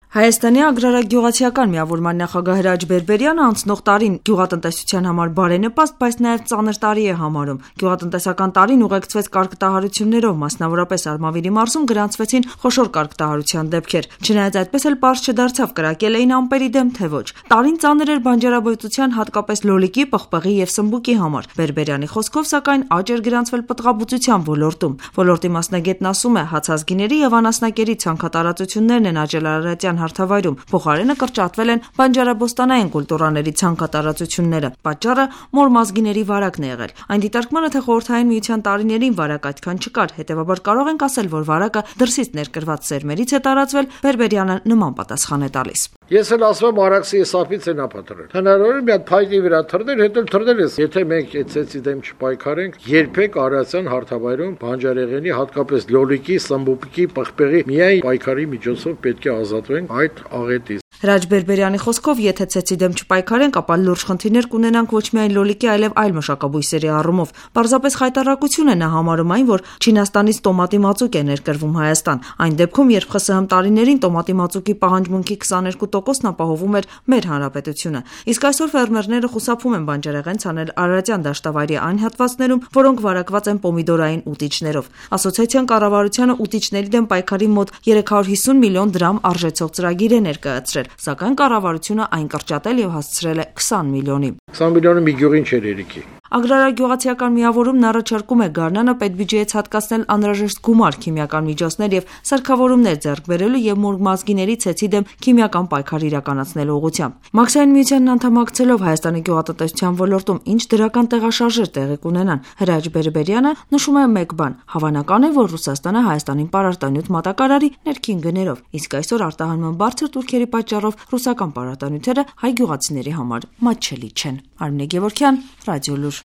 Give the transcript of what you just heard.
Հայաստանի ագրարագյուղացիական միավորման նախագահ Հրաչ Բերբերյանը անցնող տարին գյուղատնտեսության համար բարենպաստ, բայց նաև ծանր տարի է համարում։ Գյուղատնտեսական տարին ուղեկցվեց կարգտահարություններով, մասնավորապես Արմավիրի մարզում գրանցվեցին խոշոր կարգտահարության դեպքեր։ Չնայած այդպես էլ պարզ չդարձավ կրակել էին ամպերի դեմ, թե ոչ։ Տարին ծանր էր բանջարաբուծության, հատկապես լոլիկի, պղպեղի եւ սմբուկի համար։ Բերբերյանի խոսքով, սակայն, աճ էր գրանցվել պտղաբուծության ոլորտում։ Ոլորտի մասնագետն ասում է, հացազգիների եւ անասնակերի ցանքատարածություններն են աճել Արարատյան հարթավայրում, փոխարենը կրճատվել են բանջարաբոստանային կուլտուրաների ցանքատարածությունները։ Պատճառը մոր մազգիների վարակն է եղել։ Այն դիտարկման է, թե Խորհրդային Միության տարիներին վարակ այդքան չկար, հետևաբար կարող ենք ասել, որ վարակը դրսից ներկրված սերմերից է տարածվել, Բերբերյանը նման պատասխան է տալիս։ Ես էլ ասում եմ արաքսի սապից են ապատրել։ Հնարավոր է մի հատ փայտի վրա թռնել, հետո թռնել ես։ Եթե մենք այդ ցեցի դեմ չպայքարենք, երբեք Արարատյան հարթավայրում բանջարեղենի, հատկապես լոլիկի, սմբուկի, պղպեղի միայն պայքարի միջոցով պետք է ազատվենք այդ աղետից։ Հրաչ Բերբերյանի խոսքով, եթե ցեցի դեմ չպայքարենք, ապա լուրջ խնդիրներ կունենանք ոչ միայն լոլիկի, այլև այլ մշակաբույսերի առումով։ Պարզապես խայտառակություն է նա համարում այն, որ Չինաստանից տոմատի մածուկ է ներկրվում Հայաստան։ Այն դեպքում, երբ ԽՍՀՄ տարիներին տոմատի մածուկի պահանջմունքի 22%-ն ապահովում էր մեր հանրապետությունը։ Իսկ այսօր ֆերմերները խուսափում են բանջարեղեն ցանել Արարատյան դաշտավայրի այն հատվածներում, որոնք վարակված են պոմիդորային ուտիչներով։ Ասոցիացիան կառավարությանը ուտիչների դեմ պայքարի մոտ 350 միլիոն դրամ արժեցող ծրագիր է ներկայացրել, սակայն կառավարությունը այն կրճատել եւ հասցրել է 20 միլիոնի։ 20 միլիոնը մի գյուղին չէր երիքի։ Ագրարագյուղացիական միավորումն առաջարկում է Գարնանը պետբյուջեից հատկացնել անհրաժեշտ գումար քիմիական միջոցներ եւ սարքավորումներ ձեռք բերելու եւ մոր մազգիների ցեցի դեմ քիմիական պայքար իրականացնելու ուղղությամբ։ Մաքսային միությանն անդամակցելով Հայաստանի գյուղատնտեսության ոլորտում ինչ դրական տեղաշարժեր տեղի կունենան, Հրաչ Բերբերյանը նշում է մեկ բան. հավանական է, որ Ռուսաստանը Հայաստանին պարարտանյութ մատակարարի ներքին գներով, իսկ այսօր արտահանման բարձր տուրքերի պատճառով ռուսական պարարտանյութերը հայ գյուղացիների համար մատչելի չեն։ Արմինե Գևորգյան, Ռադիոլուր։